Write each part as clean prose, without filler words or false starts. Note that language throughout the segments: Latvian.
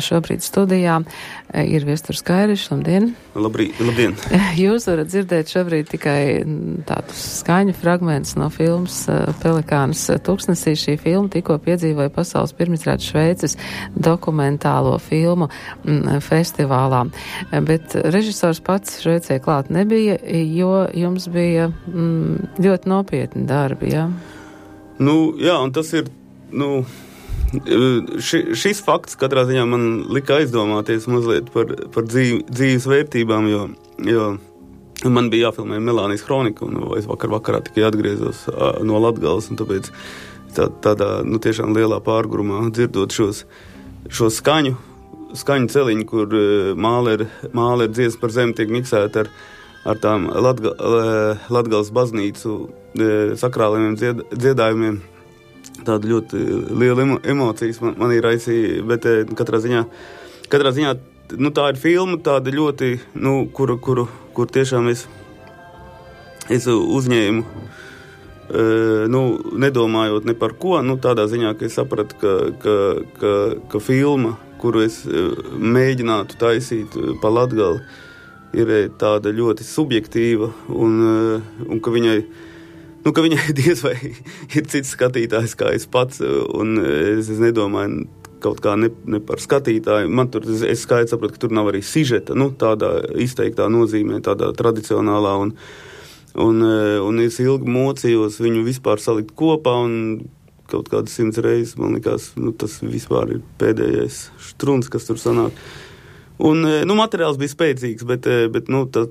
Šobrīd studijā ir Viesturs Kairišs. Labdien! Labdien! Jūs varat dzirdēt šobrīd tikai tādus skaņu fragmentus no filmas Pelikāns tuksnesī. Šī filma tikko piedzīvoja pasaules pirmizrādes Šveices dokumentālo filmu festivālā. Bet režisors pats Šveicē klāt nebija, jo jums bija ļoti nopietni darbi, jā? Jā, un tas ir, šis fakts katrā ziņā man lika aizdomāties mazliet par dzīves vērtībām, jo man bija jāfilmē Melānijas kronika, un es vakarā tikai atgriezos no Latgales, un tāpēc tādā tiešām lielā pārgurumā dzirdot šo skaņu celiņu, kur māle ir dziesma par zemi tiek miksēta ar tām Latgales baznīcu sakrālajiem dziedājumiem. Tāda ļoti liela emocijas man ir raisīja, bet katrā ziņā tā ir filma tāda ļoti, kur tiešām es uzņēmu, nedomājot ne par ko, tādā ziņā, ka es sapratu, ka filma, kuru es mēģinātu taisīt pa Latgali, ir tāda ļoti subjektīva un ka viņai diez vai ir cits skatītājs kā es pats, un es nedomāju kaut kā ne par skatītāju. Es skaidri sapratu, ka tur nav arī sižeta, tādā izteiktā nozīmē, tādā tradicionālā, un es ilgi mocījos viņu vispār salikt kopā, un kaut kādas 100 reizes, man likās, tas vispār ir pēdējais štruns, kas tur sanāk. Un, materiāls bija spēcīgs, bet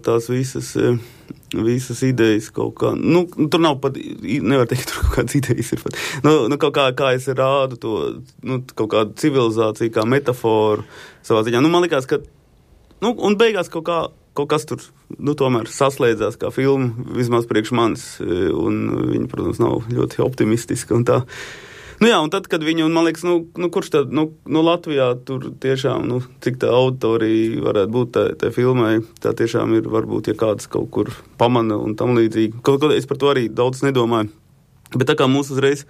tās visas idejas kaut kā, tur nav pat, nevar teikt, tur kaut kādas idejas ir pat, kaut kā es rādu to, kaut kādu civilizāciju, kā metaforu savā ziņā. Man likās, ka, un beigās kaut kas tur, tomēr saslēdzās kā filma, vismaz priekš manis, un viņa, protams, nav ļoti optimistiska un tā. Un tad, kad viņi, un man liekas, kurš tad, Latvijā tur tiešām, cik tā auditorija varētu būt tā filmai, tā tiešām ir, varbūt, ja kāds kaut kur pamana un tam līdzīgi. Kaut ko es par to arī daudz nedomāju. Bet tā kā mūs uzreiz,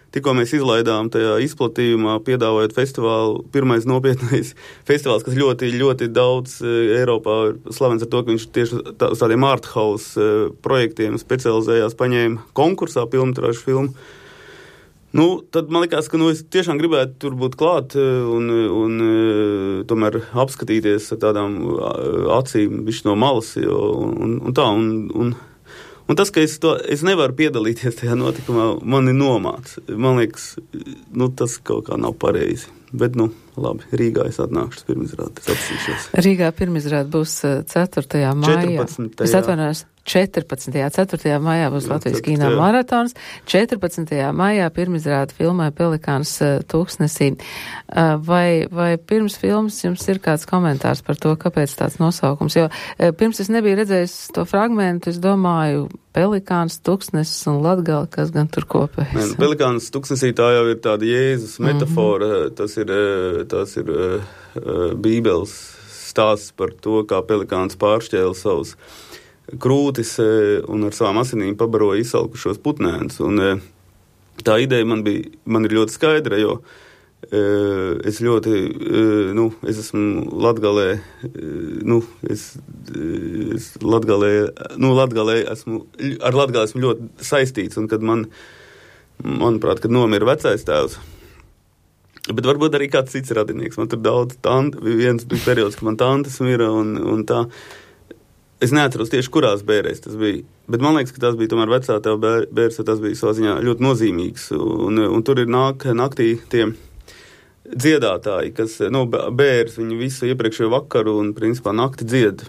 tikko mēs izlaidām tajā izplatījumā, piedāvājot festivālu, pirmais nopietnais festivāls, kas ļoti, ļoti daudz Eiropā ir slavens ar to, ka viņš tieši uz tādiem arthouse projektiem specializējās, paņēma konkursā filmu. Tad man likās, ka es tiešām gribētu tur būt klāt un tomēr apskatīties ar tādām acīm bišķi no malas, un tas, ka es nevaru piedalīties tajā notikumā, mani nomāc. Man liekas, tas kaut kā nav pareizi. Bet, labi, Rīgā es atnākšu pirmizrādi, es apsīšos. Rīgā pirmizrādi būs 4. maijā. 14. Es atvainojos, 4. maijā būs Latvijas kino maratons. 14. maijā pirmizrādi filmai Pelikāns tuksnesī. Vai pirms filmas jums ir kāds komentārs par to, kāpēc tāds nosaukums? Jo pirms es nebiju redzējis to fragmentu, es domāju, Pelikāns, tuksnesis un Latgale, kas gan tur kopējas. Pelikāns tuksnesī tā jau ir tāda Jēzus metafora, tas ir Bībeles stāsts par to, kā pelikāns pāršķēla savus krūtis un ar savām asinīm pabaroja izsalkušos putnēnus. Un tā ideja man ir ļoti skaidra, jo es ļoti, es esmu Latgalē, Latgalē esmu ļoti saistīts, un kad manuprāt, kad nomira vecais tēvs, bet varbūt arī kāds cits radinieks. Man tur daudz viens bija periods, kad man tantes mira un tā. Es neatceros tieši, kurās bērēs tas bija, bet man liekas, ka tas bija tomēr vecā tēva bērs, jo tas bija savā ziņā ļoti nozīmīgs. Un tur ir naktī tie dziedātāji, kas, bērs, viņi visu iepriekšējo vakaru un, principā, nakti dzied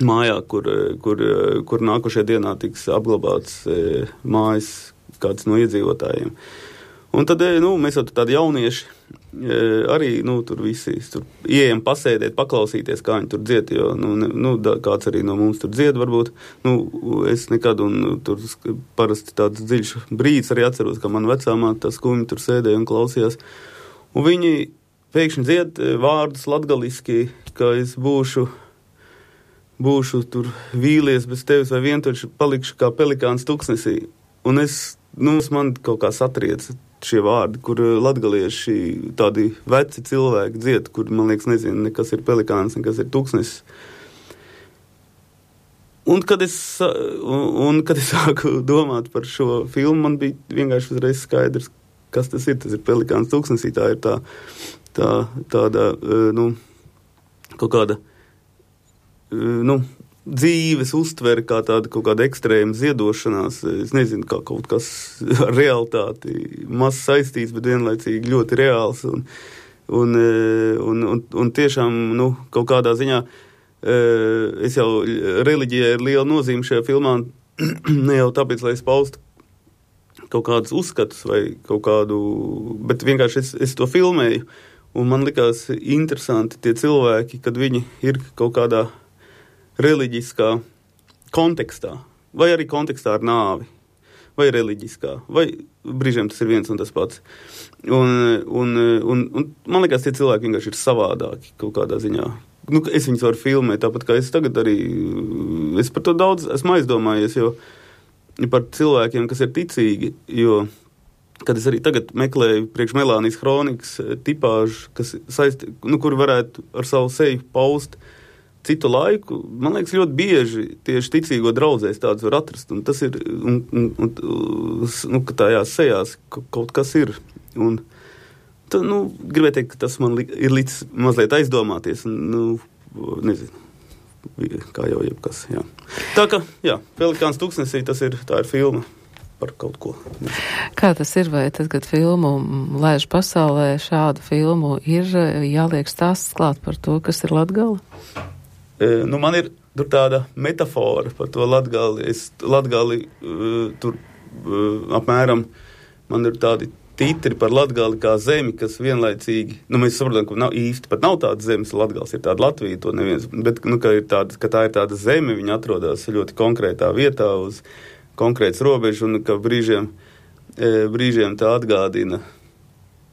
mājā, kur nākošajā dienā tiks apglabāts mājas kāds no iedzīvotājiem. Un tad, mēs jau tādi jaunieši arī, tur visi, tur ieejam pasēdēt, paklausīties, kā viņi tur dzied, jo, kāds arī no mums tur dzied, varbūt. Es nekad, un tur parasti tāds dziļš brīdis arī atceros, ka man vecāmā tā skumji tur sēdēja un klausījās. Un viņi pēkšņi dzied vārdus latgaliski, ka es būšu tur vīlies bez tevis vai vientuļši palikšu kā pelikāns tuksnesī. Un man kaut kā satrieca šie vārdi, kur latgalieši tādi veci cilvēki dzied, kur, man liekas, nezinu, nekas ir pelikāns, nekas ir tūkstnesis. Un kad es sāku domāt par šo filmu, man bija vienkārši uzreiz skaidrs, kas tas ir. Tas ir pelikāns tūkstnesī, tā ir tāda, kaut kāda, dzīves uztvere, kā tāda kaut kāda ekstrēma ziedošanās, es nezinu, kā kaut kas ar realitāti maz saistīts, bet vienlaicīgi ļoti reāls, un tiešām, kaut kādā ziņā, es jau reliģijai ir liela nozīme šajā filmā, ne jau tāpēc, lai es paustu kaut kādus uzskatus vai kaut kādu, bet vienkārši es to filmēju, un man likās interesanti tie cilvēki, kad viņi ir kaut kādā reliģiskā kontekstā, vai arī kontekstā ar nāvi, vai reliģiskā, vai brīžiem tas ir viens un tas pats. Un man liekas, tie cilvēki vienkārši ir savādāki kaut kādā ziņā. Es viņus varu filmēt, tāpat kā es tagad arī, es par to daudz esmu aizdomājies, jo par cilvēkiem, kas ir ticīgi, jo, kad es arī tagad meklēju priekš Melānijas Hronikas tipāžu, kas kur varētu ar savu seju paust citu laiku, man liekas, ļoti bieži tieši ticīgo draudzēs tādus var atrast, un tas ir, ka tajās sejās kaut kas ir, un tad, gribēju teikt, ka tas man ir līdz mazliet aizdomāties, un, nezinu, kā jau jebkas, jā. Tā ka, jā, Pelikāns tūkstnesī, tā ir filma par kaut ko. Kā tas ir, vai tad, kad filmu laiž pasaulē, šādu filmu ir jāliek stāsts klāt par to, kas ir Latgala? Man ir tur tāda metafora par to Latgali. Latgali tur apmēram, man ir tādi titri par Latgali kā zemi, kas vienlaicīgi, mēs saprotam, ka pat nav tāda zemes, Latgals ir tāda Latvija, to neviens, bet, ka tā ir tāda zeme, viņa atrodas ļoti konkrētā vietā uz konkrēts robežu, un ka brīžiem tā atgādina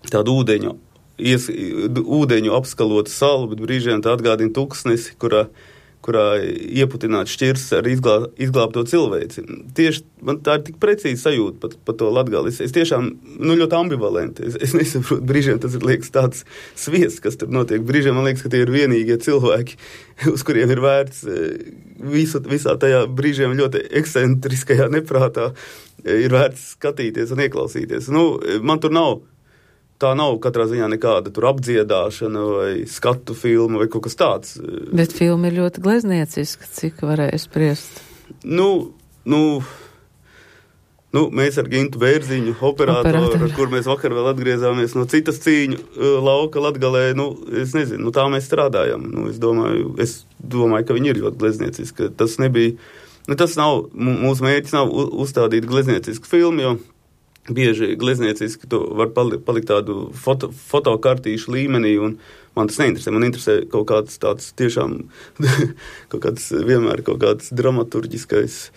tādu ūdeņu apskalotu salu, bet brīžiem tā atgādina tūkstnesi, kurā ieputināt šķirs ar izglābto cilvēci. Tieši man tā ir tik precīzi sajūta par to Latgali. Es tiešām, ļoti ambivalenti. Es nesaprotu, brīžiem tas ir, liekas, tāds sviests, kas tur notiek. Brīžiem man liekas, ka tie ir vienīgie cilvēki, uz kuriem ir vērts visā tajā brīžiem ļoti ekscentriskajā neprātā ir vērts skatīties un ieklausīties. Man tur tā nav katrā ziņā nekāda tur apdziedāšana vai skatu filma vai kaut kas tāds. Bet filma ir ļoti gleznieciska, cik varēja spriest? Mēs ar Gintu Bērziņu, operātoru, kur mēs vakar vēl atgriezāmies no citas cīņu lauka Latgalē, es nezinu, tā mēs strādājam. Es domāju, ka viņi ir ļoti gleznieciski. Tas nebija, tas nav, mūsu mērķis nav uzstādīt glezniecisku filmu, jo bieži gleznieciski to var palikt tādu fotokartīšu līmenī, un man tas neinteresē. Man interesē kaut kāds tāds tiešām, vienmēr kaut kāds dramaturģiskais,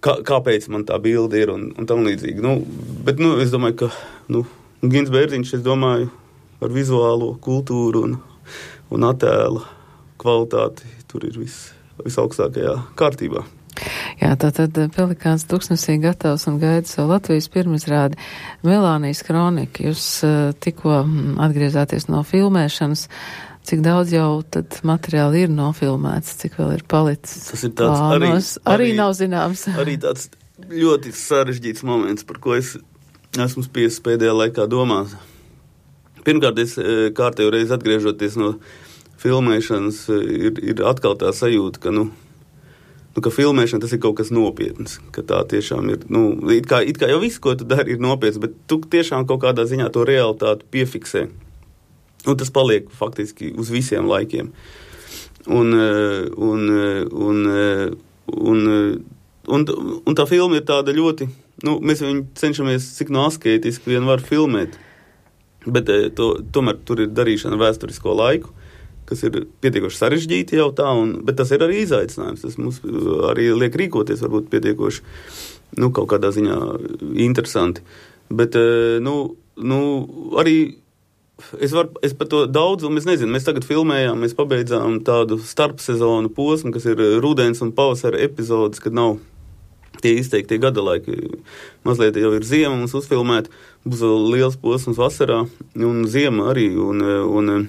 kāpēc man tā bilde ir un tam līdzīgi. Bet, es domāju, ka, Gins Bērziņš, es domāju, ar vizuālo kultūru un attēla kvalitāti tur ir visaugstākajā kārtībā. Jā, tātad Pelikāns tūkstnesī gatavs un gaida savu Latvijas pirmizrādi Melānijas Hronika. Jūs tikko atgriezāties no filmēšanas. Cik daudz jau tad materiāli ir nofilmēts, cik vēl ir palicis? Tas ir tāds arī nav zināms. Arī tāds ļoti sarežģīts moments, par ko es esmu spiests pēdējā laikā domāt. Pirmkārt, es kārtējo reizi atgriežoties no filmēšanas, ir atkal tā sajūta, ka filmēšana tas ir kaut kas nopietns, ka tā tiešām ir, it kā jau viss, ko tu dari, ir nopietns, bet tu tiešām kaut kādā ziņā to realitāti piefiksē. Un tas paliek faktiski uz visiem laikiem. Un tā filma ir tāda ļoti, mēs viņu cenšamies cik no askētiski vien var filmēt, bet tomēr tur ir darīšana vēsturisko laiku, kas ir pietiekoši sarežģīti jau tā, bet tas ir arī izaicinājums. Tas mums arī liek rīkoties varbūt pietiekoši, kaut kādā ziņā interesanti. Bet, arī es par to daudz, un mēs nezinu, mēs tagad filmējām, mēs pabeidzām tādu starpsezonu posmu, kas ir rudens un pavasara epizodes, kad nav izteikti gada laiki. Mazliet jau ir ziema mums uzfilmēt, būs vēl liels posms vasarā un ziema arī. Un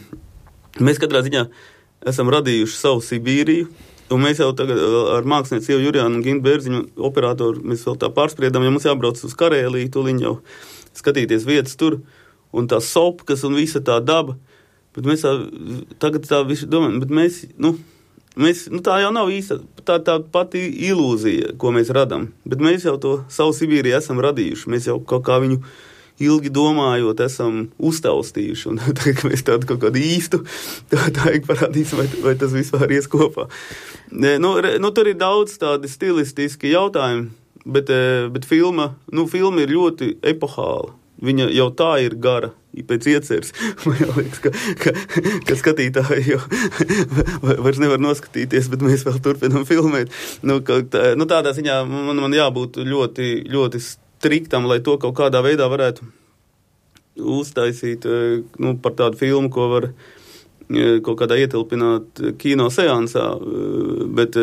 mēs katrā ziņā esam radījuši savu Sibīriju, un mēs jau tagad ar mākslinieci Ievu Jurjānu un Gintu Bērziņu operatoru mēs vēl tā pārspriedām, ja mums jābrauc uz Karēliju, tuliņ jau skatīties vietas tur, un tā sopkas un visa tā daba, bet mēs tagad tā visu domājam, bet mēs, tā jau nav īsta, tā pati ilūzija, ko mēs radam, bet mēs jau to savu Sibīriju esam radījuši, mēs jau kaut kā viņu ilgi domājot, esam uztaustījuši, un tagad mēs tādu kaut kādu īstu, tā parādīsim, vai tas vispār ies kopā. Tur ir daudz tādi stilistiski jautājumi, bet filma ir ļoti epohāla. Viņa jau tā ir gara, pēc ieceres. Man liekas, ka skatītāji jau vairs nevar noskatīties, bet mēs vēl turpinām filmēt. Tādā ziņā man jābūt ļoti, ļoti striktam, lai to kaut kādā veidā varētu uztaisīt par tādu filmu, ko var kaut kādā ietilpināt kino seansā, bet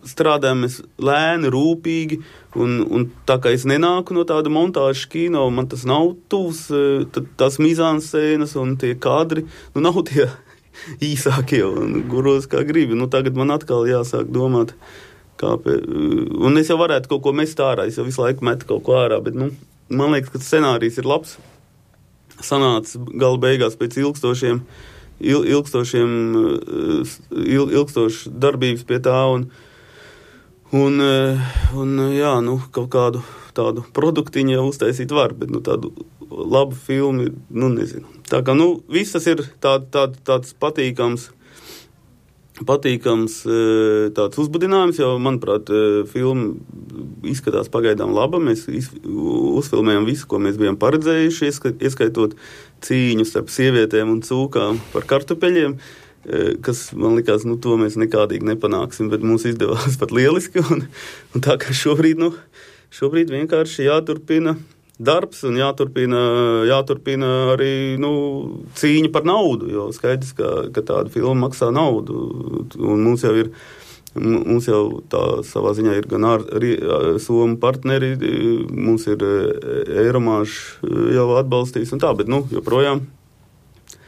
strādājam mēs lēni, rūpīgi, un tā kā es nenāku no tāda montāžas kino, man tas nav tuvs, tās mizānscēnas un tie kadri, nav tie īsākie un guros kā gribi. Tagad man atkal jāsāk domāt, un es jau varētu kaut ko mest ārā, es jau visu laiku metu kaut ko ārā, bet, man liekas, ka scenārijs ir labs. Sanāca gala beigās pēc ilgstošas darbības pie tā, kaut kādu tādu produktiņu jau uztaisīt var, bet, tādu labu filmu, nezinu. Tā kā, viss tas ir tāds patīkams tāds uzbudinājums, jo, manuprāt, filma izskatās pagaidām laba. Mēs uzfilmējam visu, ko mēs bijām paredzējuši, ieskaitot cīņu starp sievietēm un cūkām par kartupeļiem, kas, man likās, to mēs nekādīgi nepanāksim, bet mums izdevās pat lieliski, un tā kā šobrīd vienkārši jāturpina darbs un jāturpina arī cīņa par naudu, jo skaidrs, ka tāda filma maksā naudu, un mums jau tā savā ziņā ir gan Somu partneri, mums ir Eiromāž jau atbalstījis un tā, bet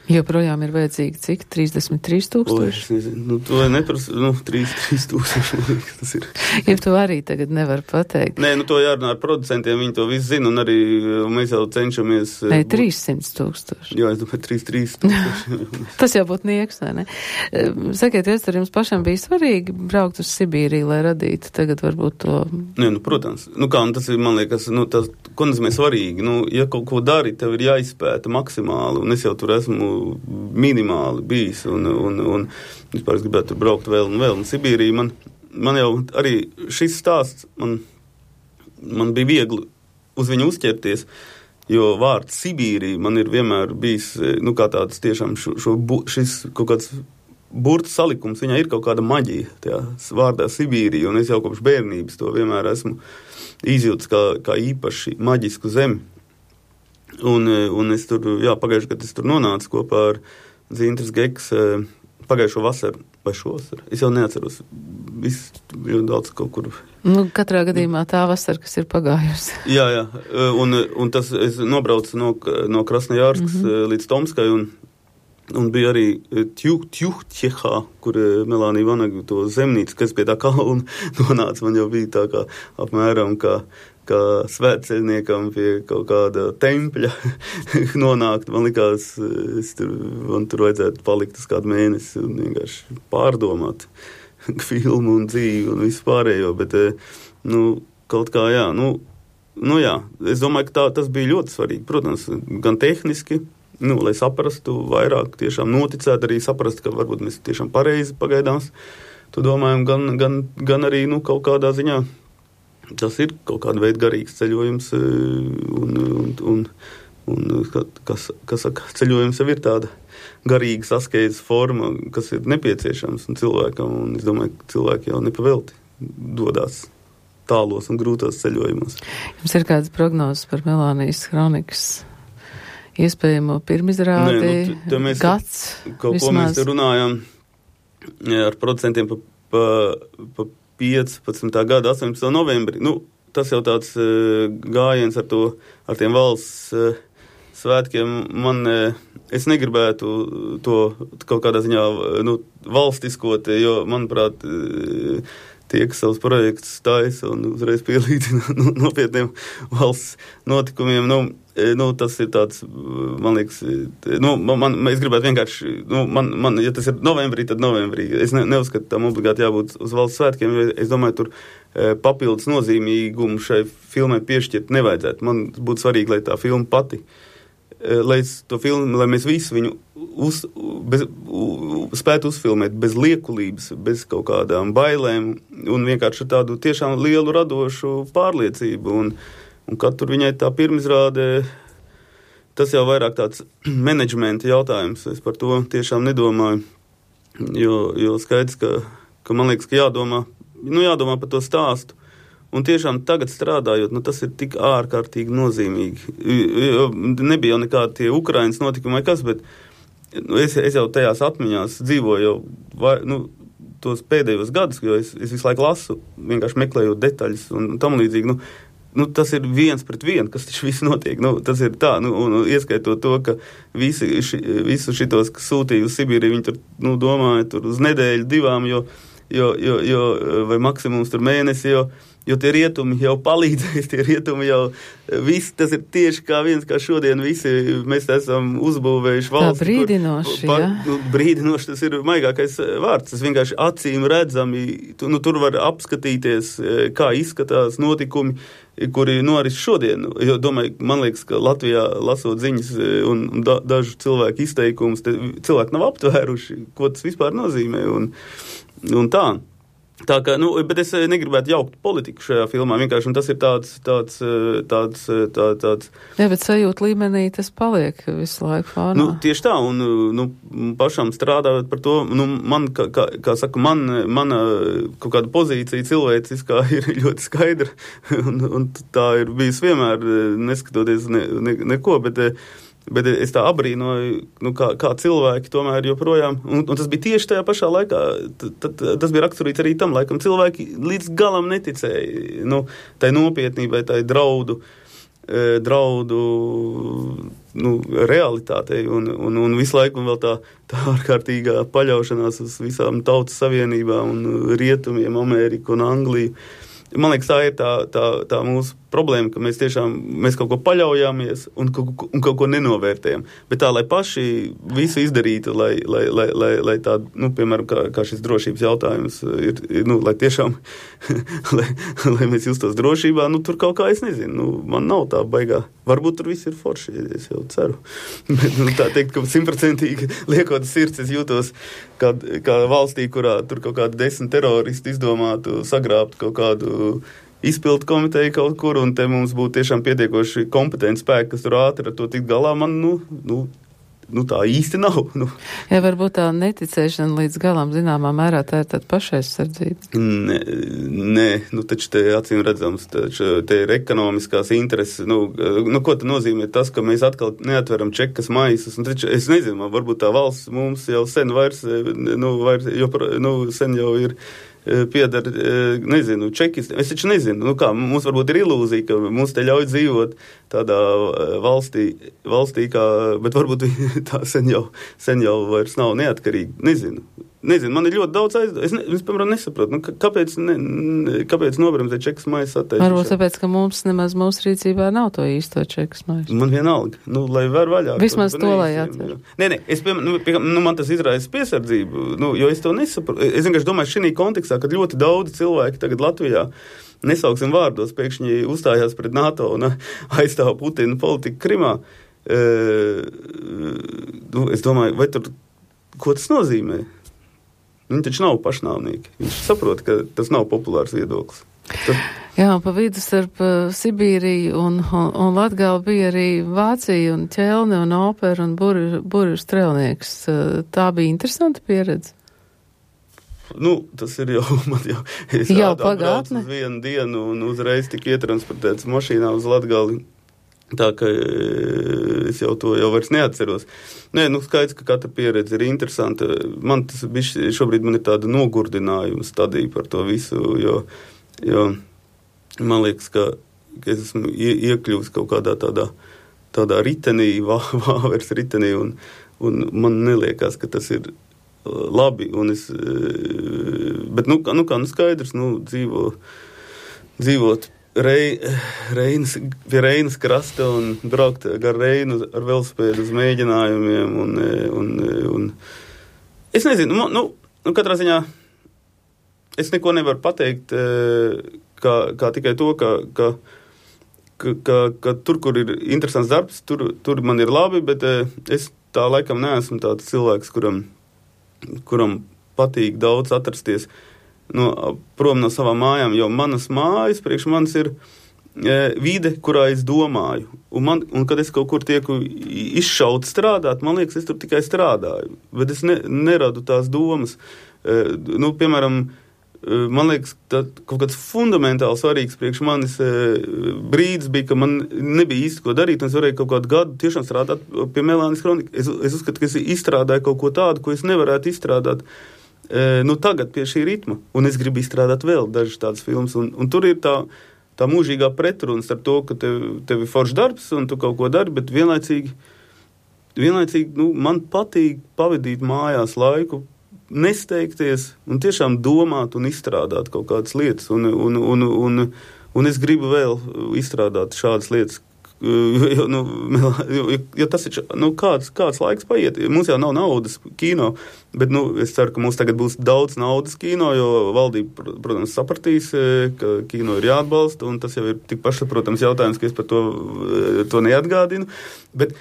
joprojām ir vajadzīgi cik? 33,000? To neprasa, 3,000, tas ir. Ja tu arī tagad nevar pateikt. Nē, to jārunā ar producentiem, viņi to visu zina, un arī mēs jau cenšamies. Nē, 300,000. Jā, es domāju, 3,000. Tas jau būtu nieks, vai ne? Sakiet, tur jums pašam bija svarīgi braukt uz Sibīriju, lai radītu tagad varbūt to. Nē, protams. Un tas ir, man liekas, tas, ko nozīmē svarīgi. Ja kaut ko dari, tev ir jāizpēta maksimāli, un es jau tur esmu minimāli bijis, un vispār es gribētu tur braukt vēl un vēl. Un Sibīrija, man jau arī šis stāsts, man bija viegli uz viņu uzķerties, jo vārds Sibīrija man ir vienmēr bijis, kā tāds tiešām šis kaut kāds burtu salikums, viņā ir kaut kāda maģija, tajā vārdā Sibīrija, un es jau kopš bērnības to vienmēr esmu izjūtis kā īpaši maģisku zemi. Un es tur, pagājuši, kad es tur nonācu kopā ar Zintras Geks pagājušo vasaru vai šovasar. Es jau neatceros. Viss ļoti daudz kaut kur. Katrā gadījumā tā vasara, kas ir pagājusi. Jā. Un tas es nobraucu no Krasnojārskas līdz Tomskai un bija arī Tjuhtjehā, kur Melānija Vanaga to zemnīcu, kas pie tā kalna nonāca. Man jau bija tā kā apmēram kā svētceļniekam pie kaut kāda tempļa nonākt. Man likās, man tur vajadzētu palikt uz kādu mēnesi un vienkārši pārdomāt filmu un dzīvi un visu pārējo, bet, kaut kā, jā. Es domāju, ka tas bija ļoti svarīgi, protams, gan tehniski, lai saprastu vairāk, tiešām noticēt, arī saprast, ka varbūt mēs tiešām pareizi pagaidām to domājam, gan arī, kaut kādā ziņā tas ir kaut kāda veida garīgs ceļojums, un kas saka, ceļojums jau ir tāda garīga saskeidzes forma, kas ir nepieciešams un cilvēkam, un es domāju, ka cilvēki jau nepavelti dodās tālos un grūtos ceļojumos. Jums ir kādas prognozes par Melānijas kronikas iespējamo pirmizrādi, gads? Kaut ko mēs te runājam ar producentiem pa 15. gada 18. novembrī. tas jau tāds gājiens ar tiem valsts svētkiem, es negribētu to kaut kādā ziņā, valstiskot, jo, manuprāt, tie, kas savus projektus taisa un uzreiz pielīdzina nopietniem valsts notikumiem, tas ir tāds, man liekas, es gribētu vienkārši, ja tas ir novembrī, tad novembrī. Es neuzskatu, tam obligāti jābūt uz valsts svētkiem, jo es domāju, tur papildus nozīmīgumu šai filmai piešķirt nevajadzētu. Man būtu svarīgi, lai tā filma pati, lai mēs visu viņu spētu uzfilmēt bez liekulības, bez kaut kādām bailēm un vienkārši tādu tiešām lielu radošu pārliecību. Un kad tur viņai tā pirmizrāde, tas jau vairāk tāds menedžmenta jautājums. Es par to tiešām nedomāju, jo skaidrs, ka man liekas, ka jādomā par to stāstu. Un tiešām tagad strādājot, tas ir tik ārkārtīgi nozīmīgi. Nebija jau nekādi tie Ukrainas notikumi vai kas, bet es jau tajās atmiņās dzīvoju jau tos pēdējos gadus, jo es visu laiku lasu, vienkārši meklējot detaļas un tam līdzīgi. Tas ir 1-1, kas taču viss notiek. Tas ir tā, un ieskaitot to, ka visu šitos, kas sūtīja uz Sibīriju, viņi tur, domāja tur uz nedēļu, 2, jo vai maksimums tur mēnesi, jo tie rietumi jau palīdzēs, tie rietumi jau visi, tas ir tieši kā šodien visi mēs esam uzbūvējuši valsts. Tā brīdinoši, brīdinoši, tas ir maigākais vārds, tas vienkārši acīm redzami, tur var apskatīties, kā izskatās notikumi, kuri noris šodien, jo domāju, man liekas, ka Latvijā lasot ziņas un dažu cilvēku izteikumus, cilvēki nav aptvēruši, ko tas vispār nozīmē un tā. Tā kā, bet es negribētu jaukt politiku šajā filmā, vienkārši, un tas ir tāds. Jā, bet sajūta līmenī tas paliek visu laiku fānā. Tieši tā, un pašam strādājot par to, man, kā saka, mana kaut kāda pozīcija cilvēciskā ir ļoti skaidra, un tā ir bijis vienmēr, neskatoties neko, bet es tā abrīnoju, kā cilvēki tomēr joprojām, un tas bija tieši tajā pašā laikā, tas bija raksturīts arī tam laikam, cilvēki līdz galam neticēja, tai nopietnībai, tai draudu realitātei, un visu laiku vēl tā ārkārtīgā paļaušanās uz visām tautas savienībām un rietumiem, Ameriku un Angliju. Man liekas, tā ir tā mūsu problēma, ka mēs kaut ko paļaujāmies un kaut ko nenovērtējam. Bet tā, lai paši visu izdarītu, lai tā, piemēram, kā šis drošības jautājums ir, lai tiešām, lai mēs justos drošībā, tur kaut kā, es nezinu, man nav tā baigā. Varbūt tur viss ir forši, es jau ceru. Bet, tā teikt, ka 100% liekot sirds, es jūtos kā valstī, kurā tur kaut kādi 10 teroristi izdomātu sagrābt kaut kādu izpildu komiteju kaut kur, un te mums būtu tiešām pietiekoši kompetenti spēki, kas tur ātri ar to tikt galā, man, tā īsti nav. Ja varbūt tā neticēšana līdz galam zināmā mērā tā ir tāda pašaizsardzība. Nē, taču te acīm redzams, te ir ekonomiskās intereses, ko te nozīmē tas, ka mēs atkal neatveram čekas maisus, un taču es nezinu, varbūt tā valsts mums jau sen vairs sen jau ir piedara, nezinu, čekis. Es taču nezinu, mums varbūt ir ilūzija, ka mums te ļauj dzīvot tādā valstī kā, bet varbūt tā sen jau vairs nav neatkarīgi. Nezinu, man ir ļoti daudz es piemēram, nesaprotu, kāpēc nobremzē čekas maisa atteicis. Varbūt tāpēc, ka mums nemaz mūsu rīcībā nav to īsto čekas maisa. Man vienalga, lai var vaļā. Vismaz to, lai atver. Nē, es, man tas izraisa piesardzību, jo es to nesaprotu. Es vienkārši domāju, šī kontekstā, kad ļoti daudz cilvēki tagad Latvijā, nesauksim vārdos, pēkšņi uzstājās pret NATO un aizstāv Putina politiku Krimā. Es domāju, vai tur, ko tas nozīmē? Viņi taču nav pašnāvnieki. Viņš saprot, ka tas nav populārs viedoklis. Jā, pa vidu starp Sibīriju un Latgali bija arī Vācija un ķelne un opera un burvju strēlnieks. Tā bija interesanta pieredze. Tas ir jau, es pagātne. Uz vienu dienu un uzreiz tik ietransportēts mašīnā uz Latgali. Tā, ka es jau to vairs neatceros. Skaidrs, ka katra pieredze ir interesanta. Šobrīd man ir tāda nogurdinājuma stadija par to visu, jo man liekas, ka es esmu iekļūst kaut kādā tādā ritenī, vāvers ritenī, un man neliekas, ka tas ir labi, un bet, skaidrs, dzīvot pie Reinas krasta un braukt gar Reinu ar velosipēdu uz mēģinājumiem, un es nezinu, katrā ziņā es neko nevaru pateikt, kā tikai to, ka tur, kur ir interesants darbs, tur man ir labi, bet es tā laikam neesmu tāds cilvēks, kuram patīk daudz atrasties prom no savām mājām, jo manas mājas priekš manis ir vide, kurā es domāju. Un kad es kaut kur tieku izšaut strādāt, man liekas, es tur tikai strādāju, bet es neradu tās domas. Piemēram, man liekas, kaut kāds fundamentāli svarīgs priekš manis brīdis bija, ka man nebija īsti ko darīt, un es varēju kaut kādu gadu tiešām strādāt pie Melānijas Kronika. Es uzskatu, ka es izstrādāju kaut ko tādu, ko es nevarētu izstrādāt tagad pie šī ritma, un es gribu izstrādāt vēl dažas tādas filmas, un tur ir tā mūžīgā pretruna starp to, ka tev ir foršs darbs, un tu kaut ko dari, bet vienlaicīgi man patīk pavadīt mājās laiku, nesteigties un tiešām domāt un izstrādāt kaut kādas lietas, un es gribu vēl izstrādāt šādas lietas, jo tas ir, kāds laiks paiet. Mums jau nav naudas kino, bet, es ceru, ka mums tagad būs daudz naudas kino, jo valdība, protams, sapratīs, ka kino ir jāatbalsta, un tas jau ir tik pašsaprotams jautājums, ka es par to neatgādinu, bet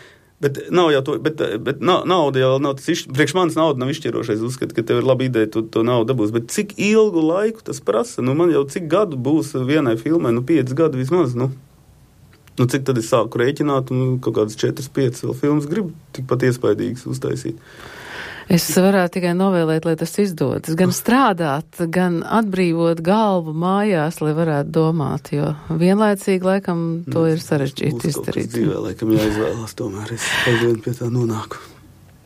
nav jau to, bet nauda jau nav tas, priekš manis nauda nav izšķirošais, uzskat, ka tev ir laba ideja, to naudu dabūs, bet cik ilgu laiku tas prasa, man jau cik gadu būs vienai filmai, 5 gadu vismaz, cik tad es sāku rēķināt, un kaut kādas 4-5 vēl filmas gribu tikpat iespaidīgas uztaisīt. Es varētu tikai novēlēt, lai tas izdodas. Gan strādāt, gan atbrīvot galvu mājās, lai varētu domāt, jo vienlaicīgi laikam to ir sarežģīti izdarīt. Dzīvē laikam jāizvēlās, tomēr es aizvien pie tā nonāku.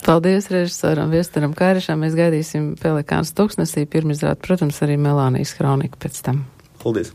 Paldies režisoram Viestaram Kairišam. Mēs gaidīsim Pelikāns tuksnesī pirmizrādi, protams, arī Melānijas Kronika pēc tam. Paldies!